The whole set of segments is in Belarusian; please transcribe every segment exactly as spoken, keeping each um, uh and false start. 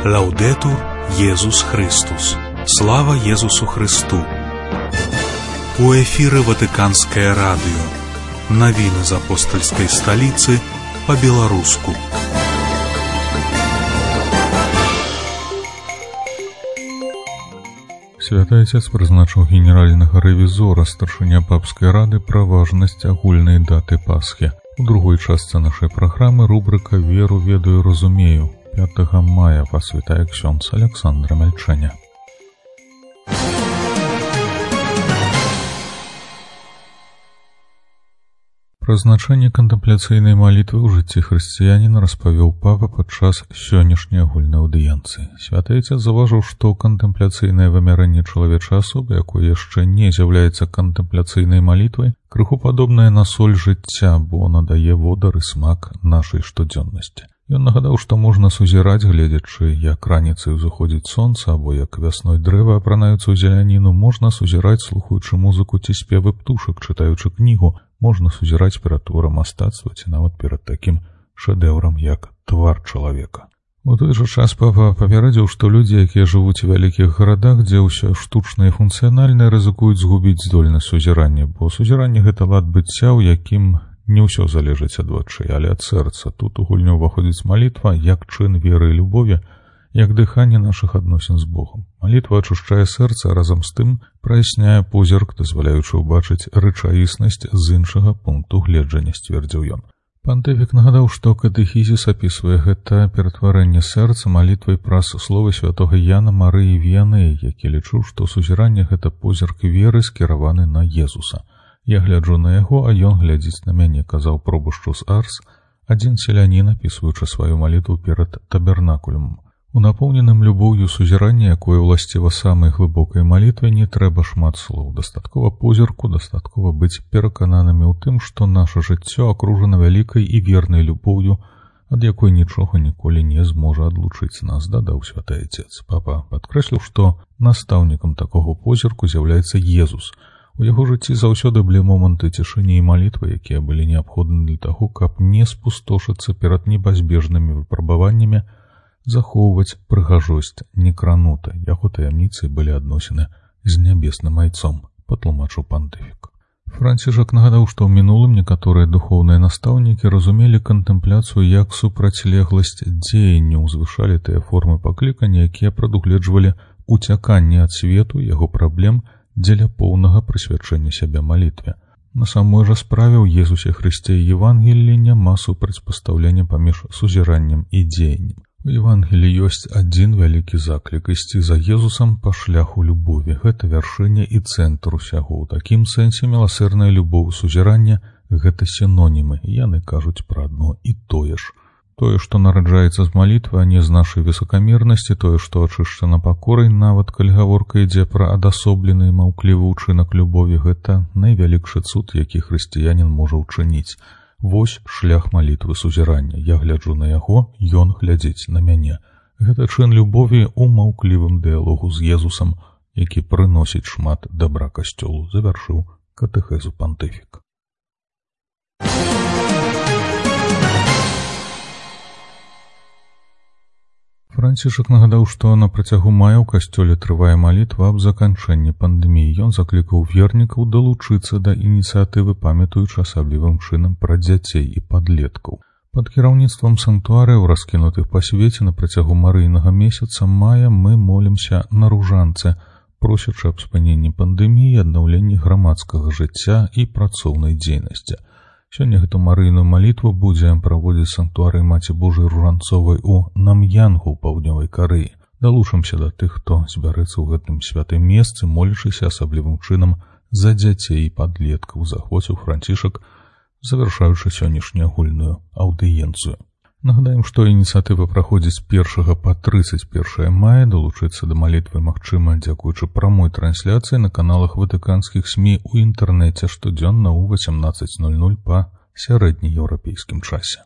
Лаудетур Єсус Христос. Слава Єсусу Христу. У эфире Ватиканское радио. Новины из апостольской столицы по-белорусски. Святы Отец призначил генерального ревизора старшыня папской рады про важность агульной даты Пасхи. У другой части нашей программы рубрика «Веру, ведаю, разумею». пятого мая посвятая ксёндз Александра Мельченя. Пра значэнне кантэмпляцыйнай малітвы ў жыцці хрысціяніна распавёў папа падчас сённяшняй агульнай аўдыенцыі. Святы Отец заўважыў, што кантэмпляцыйнае вымярэнне чалавечай асобы, якое яшчэ не з'яўляецца кантэмпляцыйнай малітвай, крыху падобнае на соль жыцця, бо надае водар і смак нашай штодзённасці. Ён нагадаў, што можна сузіраць, гледзячы, як раніцай узыходзіць сонца, або як вясной дрэва апранаюцца ў зеляніну, можна сузіраць, слухаючы музыку ці спевы птушак, чытаючы кнігу, можна сузіраць перад творам мастацтва ці нават перад такім шэдэўрам, як твар чалавека. У той жа час папа папярэдзіў, што людзі, якія жывуць у вялікіх гарадах, дзе ўсё штучнае і функцыянальнае, рызыкуюць згубіць здольнасць сузірання, бо сузіранне — гэта лад быцця, у якім не ўсё залежыць ад вачэй, але ад сэрца. Тут у гульню ўваходзіць малітва як чын веры і любові, як дыханне нашых адносін з Богом. Малітва ачушчае сэрца, разам з тым праясняе позірк, дазваляючы ўбачыць рэчаіснасць з іншага пункту гледжання, сцвердзіў ён. Пантыфік нагадаў, што катэхізіс апісвае гэта ператварэнне сэрца малітвай праз словы святога Яна Марыі Віянеі, які лічыў, што сузіранне — гэта позірк веры, скіраваны на Езуса. «Я гляджу на яго, а ён глядзіць на мяне», — казаў пробушчу з Арс, адзін селянін, апісваючы сваю малітву перад табернакулем. У напоўненым любоўю сузіранні, якое ўласціва самай глыбокай малітве, не трэба шмат слоў. Дастаткова позірку, дастаткова быць перакананымі ў тым, што наша жыццё акружана вялікай і вернай любоўю, ад якой нічога ніколі не зможа адлучыць нас, дадаў святы Отец. Папа падкрэсліў, што настаўнікам такога позірку з'яўляецца Езус. У яго жыцці заўсёды былі моманты цішыні і малітвы, якія былі неабходны для таго, каб не спустошыцца перад небазбежнымі выпрабаваннямі, захоўваць прыгажосць некранута. Яго таямніцы былі адносіны з нябесным айцом, патлумачыў пантыфік. Францішак нагадаў, што ў мінулым некаторыя духоўныя настаўнікі разумелі кантэмпляцыю як супрацьлегласць дзеянню, узвышалі тыя формы паклікання, якія прадугледжвалі уцяканне ад свету, яго праблем, дзеля поўнага прысвячэння сябе малітве. На самой жа справе ў Езусе Хрысце і Евангеліі няма супрацьпастаўлення паміж сузіраннем і дзеяннем. У Евангеліі ёсць адзін вялікі заклік — ісці за Езусам па шляху любові. Гэта вяршыня і цэнтр усяго. У такім сэнсе міласэрная любоў і сузіранне — гэта сінонімы. Яны кажуць пра адно і тое ж. Тое, што нараджаецца з малітвы, а не з нашай высакамернасці, тое, што ачышчана пакорай, нават калі гаворка ідзе пра адасоблены і маўклівы ўчынак любові, гэта найвялікшы цуд, які хрысціянін можа ўчыніць. Вось шлях малітвы сузірання. Я гляджу на яго, ён глядзіць на мяне. Гэта чын любові ў маўклівым дыялогу з Езусам, які прыносіць шмат дабра касцёлу, завяршыў катэхезу пантыфік. Францішак нагадаў, што на працягу мая ў касцёле трывае малітва аб заканчэнні пандэміі. Ён заклікаў вернікаў далучыцца да ініцыятывы, памятаючы асаблівым чынам пра дзяцей і падлеткаў. Пад кіраўніцтвам санктуарыяў, раскінутых па свеце на працягу марыйнага месяца мая, мы молімся на ружанцы, просячы аб спыненні пандэміі, аднаўленні грамадскага жыцця і працоўнай дзейнасці. Сёння гэту марыйную малітву будзе праводзіць санктуарый Маці Божай Ружанцовай у Нам'янгу ў паўднёвай Карэі. Далучымся да тых, хто збярэцца ў гэтым святым месцы, молячыся асаблівым чынам за дзяцей і падлеткаў, захвоціў Францішак, завяршаючы сённяшнюю агульную аўдыенцыю. Нагадаем, што ініцыятыва праходзіць з першага па трыццаць першае мая. Далучыцца да малітвы магчыма дзякуючы прамой трансляцыі на каналах ватыканскіх СМІ ў інтэрнэце штодзённа ў васямнаццаць нуль нуль па сярэднееўрапейскім часе.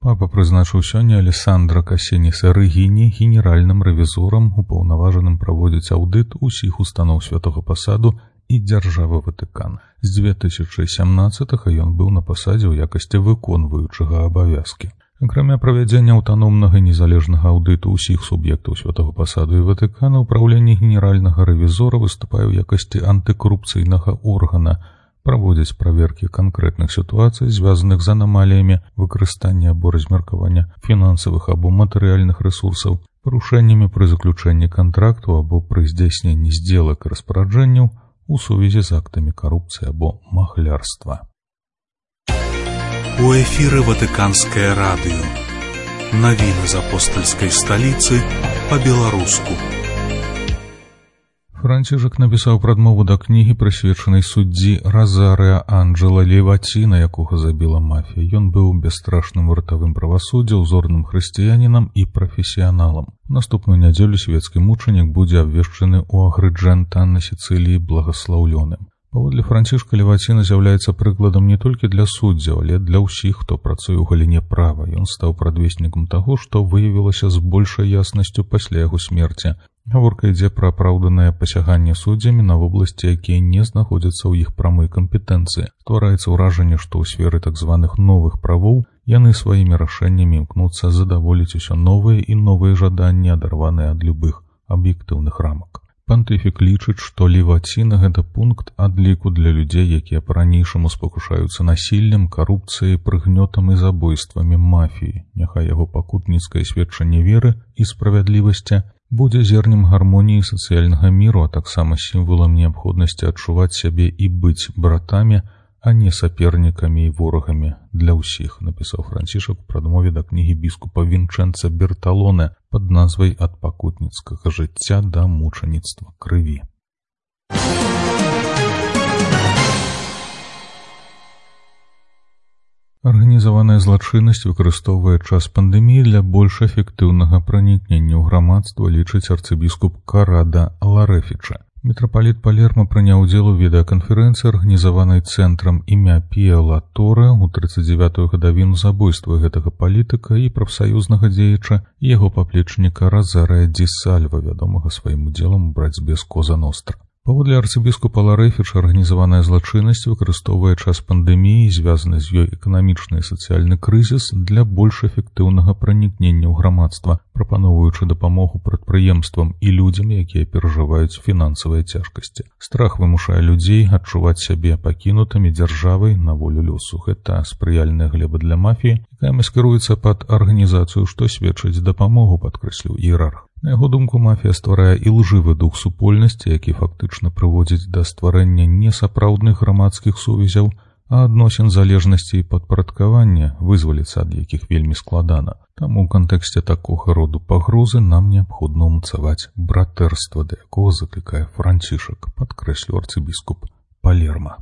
Папа прызначыў сёння Алессандра Касеніса Рэгіні генеральным рэвізорам, упаўнаважаным праводзіць аўдыт усіх устаноў святога пасаду і дзяржавы Ватыкан. З дзве тысячы сямнаццатага ён быў на пасадзе ў якасці выконваючага абавязкі. Акрамя правядзення аўтаномнага незалежнага аўдыту ўсіх суб'ектаў святого пасаду і Ватыкана, ўпраўленне генеральнага рэвізора выступае ў якасці антыкарупцыйнага органа, праводзіць праверкі канкрэтных сітуацый, звязаных з анамаліямі выкарыстання або размеркавання фінансавых або матэрыяльных рэсурсаў, парушэннямі пры заключэнні кантракту або пры здзяйсненні здзелак і распараджэнняў у сувязі з актамі карупцыі або махлярства. У эфіры Ватыканскае радыё. Навіны з апостальскай сталіцы па-беларуску. Францішак напісаў прадмову да кнігі, прысвечанай суддзі Розаріа Анджела Ліваціна, якога забіла мафія. Ён быў бясстрашным вартавым правасуддзя, узорным хрысціянінам і прафесіяналам. У наступную нядзелю свецкі мучанік будзе абвешчаны ў Агрыджэнта на Сіцыліі благаслаўлёным. Паводле Францішка, Ліваціна з'яўляецца прыкладам не толькі для суддзяў, але для ўсіх, хто працуе ў галіне права. Ён стаў прадвеснікам таго, што выявілася з большай яснасцю пасля яго смерці. Гаворка ідзе пра апраўданае пасяганне суддзямі на вобласці, якія не знаходзяцца ў іх прамой кампетэнцыі. Ствараецца ўражанне, што ў сферы так званых новых правоў яны сваімі рашэннямі імкнуцца задаволіць усё новыя і новыя жаданні, адарваныя ад любых аб'ектыўных рамак. Пантыфік лічыць, што Ліваціна – гэта пункт адліку для людзей, якія па-ранейшаму спакушаюцца насіллем, карупцыяй, прыгнётам і забойствамі мафіі. Няхай яго пакутніцкае сведчанне веры і справядлівасці будзе зернем гармоніі сацыяльнага міру, а таксама сімвалам неабходнасці адчуваць сябе і быць братамі, а не сапернікамі і ворагамі для ўсіх, напісаў Францішак у прадмове да кнігі біскупа Вінчэнца Берталоне пад назвай «Ад пакутніцкага жыцця да мучаніцтва крыві». Арганізаваная злачыннасць выкарыстоўвае час пандэміі для больш эфектыўнага пранікнення ў грамадства, лічыць арцыбіскуп Карада Ларэфіча. Мітрапаліт Палерма прыняў удзел у відэаканферэнцыі, арганізаванай цэнтрам імя Піа ла Торе ў трыццаць дзявятую гадавіну забойства гэтага палітыка і прафсаюзнага дзеяча і яго паплечніка Розаріа ді Сальва, вядомага сваім удзелам у барацьбе з Коза Ностра. Паводле арцыбіскупа Ларэфіча, арганізаваная злачыннасць выкарыстоўвае час пандэміі і звязаны з ёй эканамічны і сацыяльны крызіс для больш эфектыўнага пранікнення ў грамадства, прапаноўваючы дапамогу прадпрыемствам і людзям, якія перажываюць фінансавыя цяжкасці. Страх вымушае людзей адчуваць сябе пакінутымі дзяржавай на волю лёсу. Гэта спрыяльная глеба для мафіі, якая маскіруецца пад арганізацыю, што сведчыць дапамогу, падкрэсліў іерарх. На яго думку, мафія стварае ілжывы дух супольнасці, які фактычна прыводзіць да стварэння несапраўдных грамадскіх сувязяў, а адносін залежнасці і падпарадкавання, вызваліцца ад якіх вельмі складана. Таму ў кантэксце такога роду пагрозы нам неабходна ўмацаваць братэрства, да якога заклікае Францішак, падкрэсліў арцыбіскуп Палерма.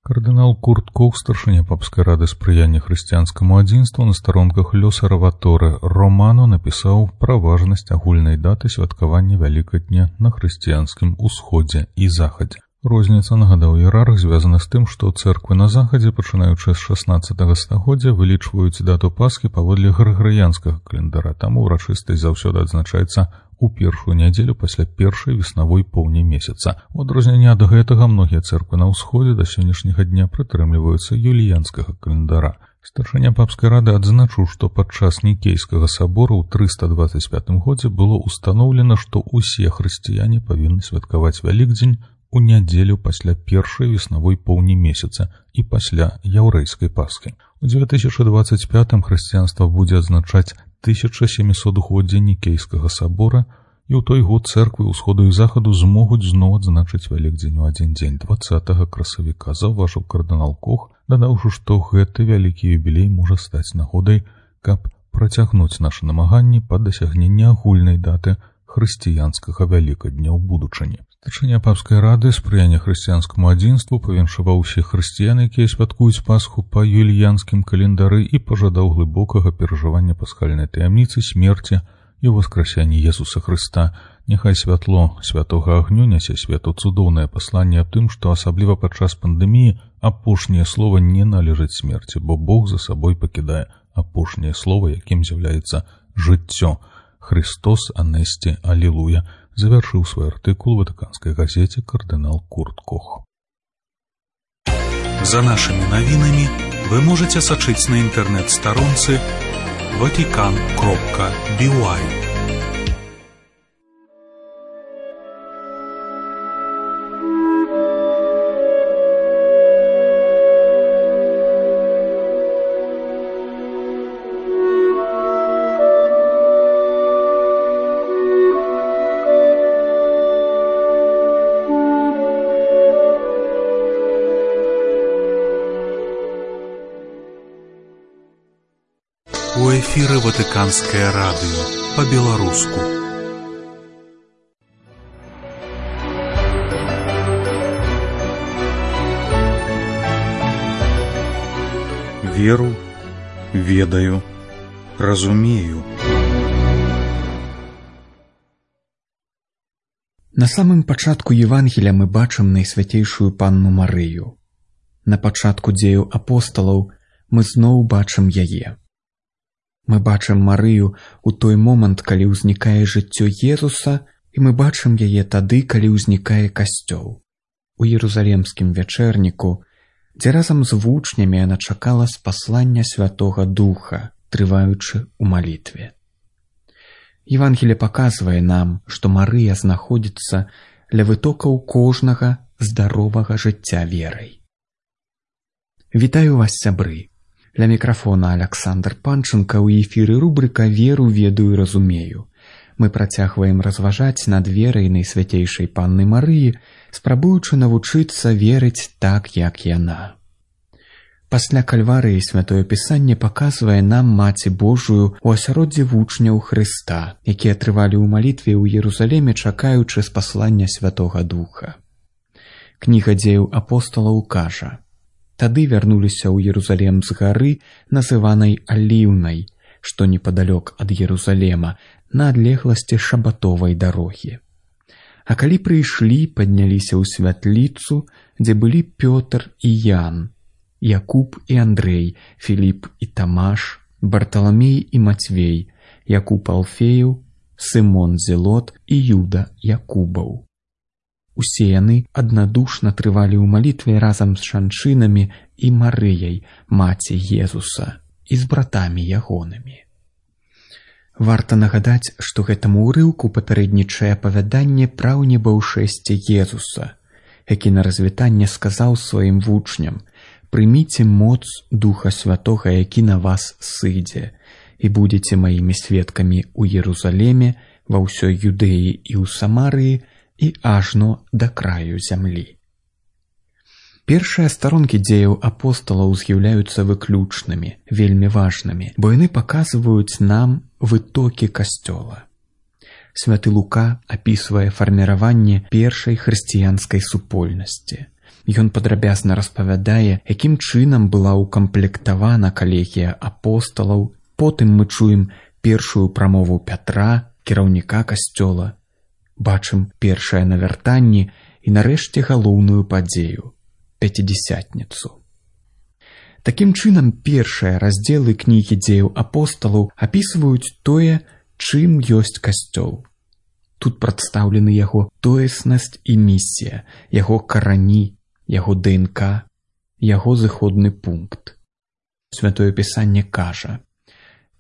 Кардынал Курт Кох, старшыня папскай рады спрыяння хрысціянскаму адзінству, на старонках Лёсараваторе Романо напісаў пра важнасць агульнай даты святкавання Вялікадня на хрысціянскім усходзе і захадзе. Розніца, нагадаў іерарх, звязана з тым, што цэрквы на захадзе, пачынаючы з шаснаццатага стагоддзя, вылічваюць дату Пасхі паводле грыгарыянскага календара, таму ўрачыстасць заўсёды адзначаецца у першую нядзелю пасля першай веснавой поўні месяца. У адрозненне ад гэтага многія цэрквы на ўсходзе да сённяшняга дня прытрымліваюцца юліянскага календара. Старшыня папскай рады адзначыў, што падчас Нікейскага сабора ў трыста дваццаць пятым годзе было ўстаноўлена, што ўсе хрысціяне павінны святкаваць Вялікдзень у нядзелю пасля першай веснавой поўні месяца і пасля яўрэйскай Пасхі. У дзве тысячы дваццаць пятым хрысціянства будзе адзначаць тысяча сямісотгоддзе Нікейскага сабора, і ў той год цэрквы ўсходу і захаду змогуць зноў адзначыць Вялікдзень у адзін дзень дваццатага красавіка, заўважыў кардынал Кох, дадаўшы, што гэты вялікі юбілей можа стаць нагодай, каб працягнуць нашы намаганні па дасягненні агульнай даты хрысціянскага Вялікадня ў будучыні. Старшыня папскай рады спрыяння хрысціянскаму адзінству павіншаваў усіх хрысціян, якія святкуюць Пасху па юліянскім календары, і пажадаў глыбокага перажывання пасхальнай таямніцы смерці і воскрасяння Езуса Хрыста. Няхай святло святога агню нясе свету цудоўнае пасланне аб тым, што асабліва падчас пандэміі апошняе слова не належыць смерці, бо Бог за сабой пакідае апошняе слова, якім з'яўляецца жыццё. «Христос анесте аллилуйя», завершыў свой артыкул у ватыканскай газеце кардынал Курт Кох. За нашими навінамі вы можете сачыць на інтэрнэт-старонцы ватикан кропка би уай. У эфіры Ватыканскае радыё па-беларуску. Веру, ведаю, разумею. На самым пачатку Евангелія мы бачым найсвяцейшую панну Марыю. На пачатку дзеяў апосталаў мы зноў бачым яе. Мы бачым Марыю ў той момант, калі ўзнікае жыццё Езуса, і мы бачым яе тады, калі ўзнікае касцёл. У Ерусалемскім вячэрніку, дзе разам з вучнямі яна чакала спаслання Святога Духа, трываючы ў малітве. Евангелие паказвае нам, што Марыя знаходзіцца ля вытокаў кожнага здаровага жыцця верай. Вітаю вас, сябры! Ля мікрафона Аляксандр Панченка, ў эфіры рубрыка «Веру, ведаю, разумею». Мы працягваем разважаць над верай найсвяцейшай панны Марыі, спрабуючы навучыцца верыць так, як яна. Пасля Кальварыі Святое Пісанне паказвае нам Маці Божую у асяроддзі вучняў Хрыста, якія трывалі ў малітве ў Ерусалеме, чакаючы спаслання Святога Духа. Кніга дзеяў апосталаў кажа: «Тады вярнуліся ў Ерусалем з гары, называнай Аліўнай, што непадалёк ад Ерусалема, на адлегласці шабатовай дарогі. А калі прыйшлі, падняліся ў святліцу, дзе былі Пётр і Ян, Якуб і Андрэй, Філіп і Тамаш, Барталамей і Мацвей, Якуб Алфеяў, Сымон Зелот і Юда Якубаў. Усе яны аднадушна трывалі ў малітве разам з жанчынамі і Марыяй, маці Езуса, і з братамі ягонымі». Варта нагадаць, што гэтаму ўрыўку папярэднічае апавяданне пра ўнебаўшэсце Езуса, які на развітанне сказаў сваім вучням: «Прыміце моц Духа Святога, які на вас сыдзе, і будзеце маімі сведкамі ў Ерусалеме, ва ўсёй Юдэі і ў Самарыі, і ажно да краю зямлі». Першыя старонкі дзеяў апосталаў з'яўляюцца выключнымі, вельмі важнымі, бо яны паказваюць нам вытокі касцёла. Святы Лука апісвае фарміраванне першай хрысціянскай супольнасці. Ён падрабязна распавядае, якім чынам была ўкамплектавана калегія апосталаў. Потым мы чуем першую прамову Пятра, кіраўніка касцёла, бачым першае навяртанне і нарэшце галоўную падзею — пяцідзясятніцу. Такім чынам, першыя раздзелы кнігі дзеяў апосталаў апісваюць тое, чым ёсць касцёл. Тут прадстаўлены яго тоеснасць і місія, яго карані, яго ДНК, яго зыходны пункт. Святое Пісанне кажа: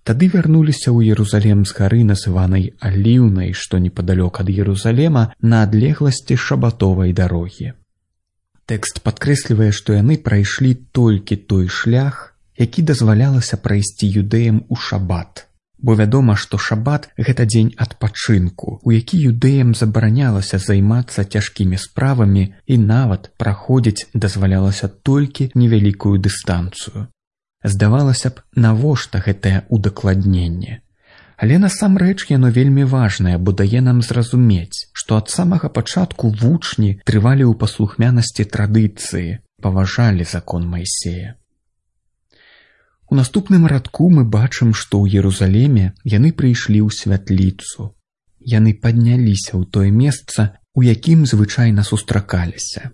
«Тады вярнуліся ў Ерусалем з гары, называнай Аліўнай, што непадалёк ад Ерусалема, на адлегласці шабатовай дарогі». Тэкст падкрэслівае, што яны прайшлі толькі той шлях, які дазвалялася прайсці юдэям у шабат. Бо вядома, што шабат — гэта дзень адпачынку, у які юдэям забаранялася займацца цяжкімі справамі, і нават праходзіць дазвалялася толькі невялікую дыстанцыю. Здавалася б, навошта гэтае удакладненне? Але насамрэч яно вельмі важнае, бо дае нам зразумець, што ад самага пачатку вучні трывалі ў паслухмянасці традыцыі, паважалі закон Майсея. У наступным радку мы бачым, што ў Ерусалеме яны прыйшлі ў святліцу. Яны падняліся ў тое месца, у якім звычайна сустракаліся.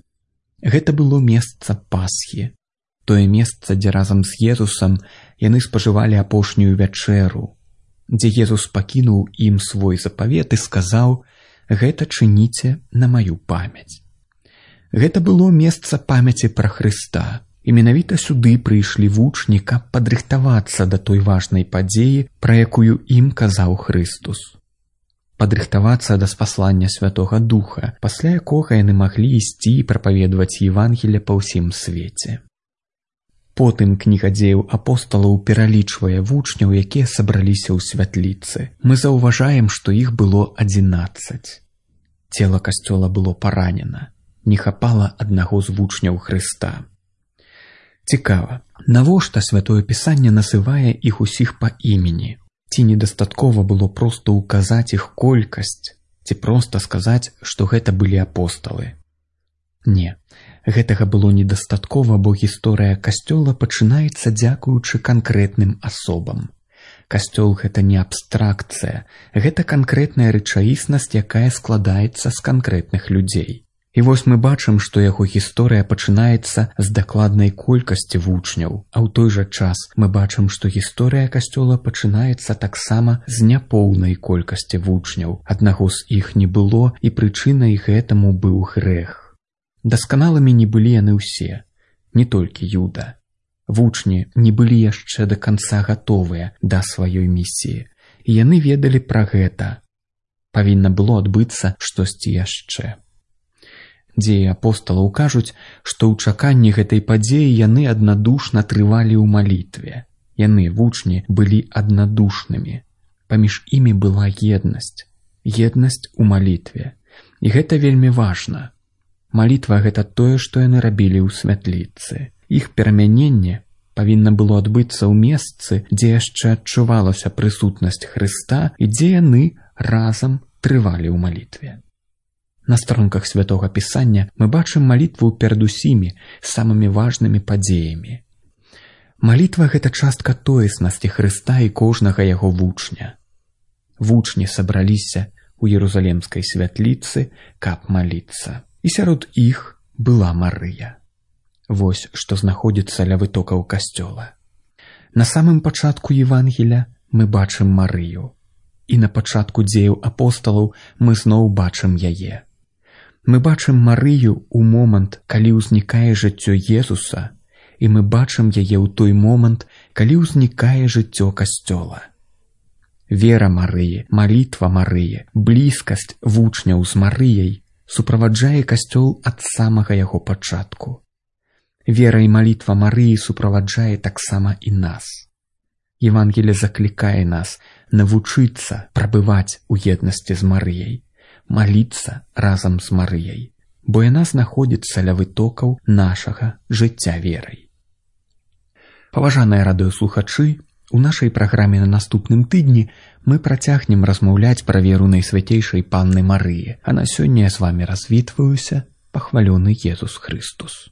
Гэта было месца Пасхі, тое месца, дзе разам з Езусам яны спажывалі апошнюю вячэру, дзе Езус пакінуў ім свой запавет і сказаў: «Гэта чыніце на маю памяць». Гэта было месца памяці пра Хрыста, і менавіта сюды прыйшлі вучні, каб падрыхтавацца да той важнай падзеі, пра якую ім казаў Хрыстус. Падрыхтавацца да спаслання Святога Духа, пасля якога яны маглі ісці і прапаведваць Евангелле па ўсім свеце. Потым кніга дзеяў апосталаў пералічвае вучняў, якія сабраліся ў святліцы. Мы заўважаем, што іх было адзінаццаць. Цела касцёла было паранена. Не хапала аднаго з вучняў Хрыста. Цікава, навошта Святое Пісанне называе іх усіх па імені? Ці недастаткова было проста ўказаць іх колькасць, ці проста сказаць, што гэта былі апосталы? Не, гэтага было недастаткова, бо гісторыя касцёла пачынаецца дзякуючы канкрэтным асобам. Касцёл — гэта не абстракцыя, гэта канкрэтная рэчаіснасць, якая складаецца з канкрэтных людзей. І вось мы бачым, што яго гісторыя пачынаецца з дакладнай колькасці вучняў, а ў той жа час мы бачым, што гісторыя касцёла пачынаецца таксама з няпоўнай колькасці вучняў. Аднаго з іх не было, і прычынай гэтаму быў грэх. Дасканалымі не былі яны ўсе, не толькі Юда. Вучні не былі яшчэ да канца гатовыя да сваёй місіі, і яны ведалі пра гэта. Павінна было адбыцца штосьці яшчэ. Дзеі апосталаў кажуць, што ў чаканні гэтай падзеі яны аднадушна трывалі ў малітве. Яны, вучні, былі аднадушнымі. Паміж імі была еднасць. Еднасць у малітве. І гэта вельмі важна. Малітва — гэта тое, што яны рабілі ў святліцы. Іх перамяненне павінна было адбыцца ў месцы, дзе яшчэ адчувалася прысутнасць Хрыста і дзе яны разам трывалі ў малітве. На старонках Святога Пісання мы бачым малітву перад усімі самымі важнымі падзеямі. Малітва — гэта частка тоеснасці Хрыста і кожнага яго вучня. Вучні сабраліся ў Ерусалемскай святліцы, каб маліцца. І сярод іх была Марыя. Вось што знаходзіцца ля вытокаў касцёла. На самым пачатку Евангеля мы бачым Марыю. І на пачатку дзеяў апосталаў мы зноў бачым яе. Мы бачым Марыю ў момант, калі ўзнікае жыццё Езуса, і мы бачым яе ў той момант, калі ўзнікае жыццё касцёла. Вера Марыі, малітва Марыі, блізкасць вучняў з Марыяй суправаджае касцёл ад самага яго пачатку. Вера і малітва Марыі суправаджае таксама і нас. Евангелле заклікае нас навучыцца прабываць у еднасці з Марыяй, маліцца разам з Марыяй, бо яна знаходзіцца ля вытокаў нашага жыцця верай. Паважаныя радыёслухачы, у нашай праграме на наступным тыдні мы працягнем размаўляць пра веру Найсвяцейшай Панны Марыі, а на сёння я з вамі развітваюся, пахвалёны Езус Хрыстус.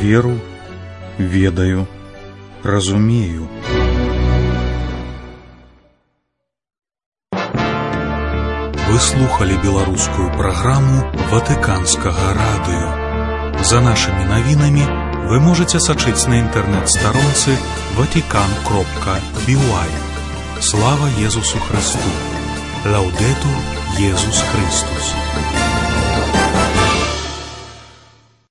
Веру, ведаю, разумею. Вы слухали беларускую праграму Ватыканскага радыё. За нашымі навінамі вы можаце сачыць на інтэрнэт-старонцы ватикан кропка би уай. Слава Езусу Христу! Лаудетур Езус Христус!